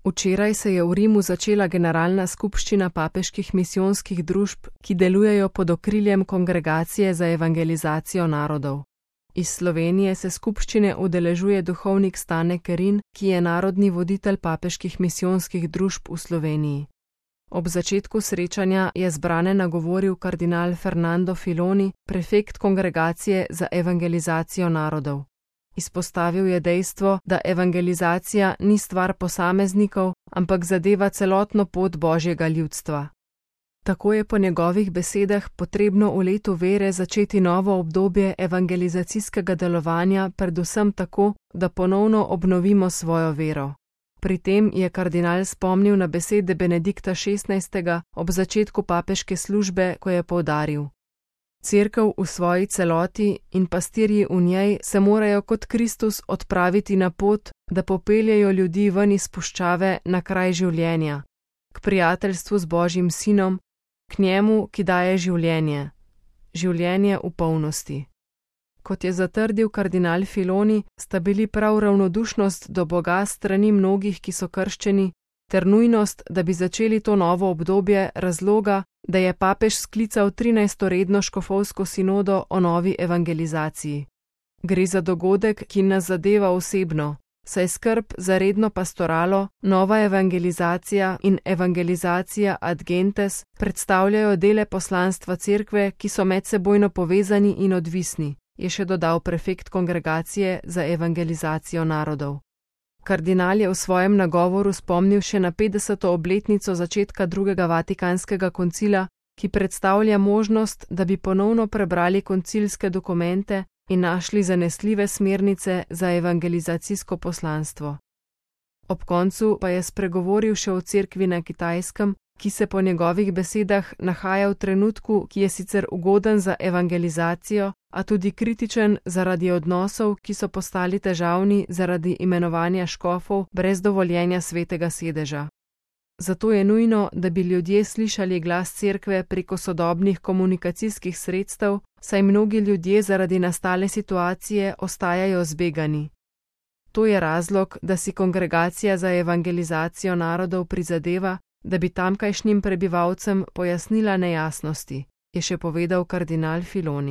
Včeraj se je v Rimu začela generalna skupščina papeških misijonskih družb, ki delujejo pod okriljem Kongregacije za evangelizacijo narodov. Iz Slovenije se skupščine udeležuje duhovnik Stane Kerin, ki je narodni voditelj papeških misijonskih družb v Sloveniji. Ob začetku srečanja je zbrane nagovoril kardinal Fernando Filoni, prefekt Kongregacije za evangelizacijo narodov. Izpostavil je dejstvo, da evangelizacija ni stvar posameznikov, ampak zadeva celotno pot Božjega ljudstva. Tako je po njegovih besedah potrebno v letu vere začeti novo obdobje evangelizacijskega delovanja, predvsem tako, da ponovno obnovimo svojo vero. Pri tem je kardinal spomnil na besede Benedikta XVI. Ob začetku papeške službe, ko je poudaril: Cerkev v svoji celoti in pastirji v njej se morajo kot Kristus odpraviti na pot, da popeljejo ljudi ven iz puščave na kraj življenja, k prijateljstvu z Božjim Sinom, k njemu, ki daje življenje, življenje v polnosti. Kot je zatrdil kardinal Filoni, sta bili prav ravnodušnost do Boga strani mnogih, ki so krščeni, ter nujnost, da bi začeli to novo obdobje, razloga, da je papež sklical 13. redno škofovsko sinodo o novi evangelizaciji. Gre za dogodek, ki nas zadeva osebno, saj skrb za redno pastoralo, nova evangelizacija in evangelizacija ad gentes predstavljajo dele poslanstva cerkve, ki so medsebojno povezani in odvisni, je še dodal prefekt Kongregacije za evangelizacijo narodov. Kardinal je v svojem nagovoru spomnil še na 50. obletnico začetka drugega Vatikanskega koncila, ki predstavlja možnost, da bi ponovno prebrali koncilske dokumente in našli zanesljive smernice za evangelizacijsko poslanstvo. Ob koncu pa je spregovoril še o cerkvi na Kitajskem, ki se po njegovih besedah nahaja v trenutku, ki je sicer ugoden za evangelizacijo, a tudi kritičen zaradi odnosov, ki so postali težavni zaradi imenovanja škofov brez dovoljenja svetega sedeža. Zato je nujno, da bi ljudje slišali glas cerkve preko sodobnih komunikacijskih sredstev, saj mnogi ljudje zaradi nastale situacije ostajajo zbegani. To je razlog, da si Kongregacija za evangelizacijo narodov prizadeva, da bi tamkajšnjim prebivalcem pojasnila nejasnosti, je še povedal kardinal Filoni.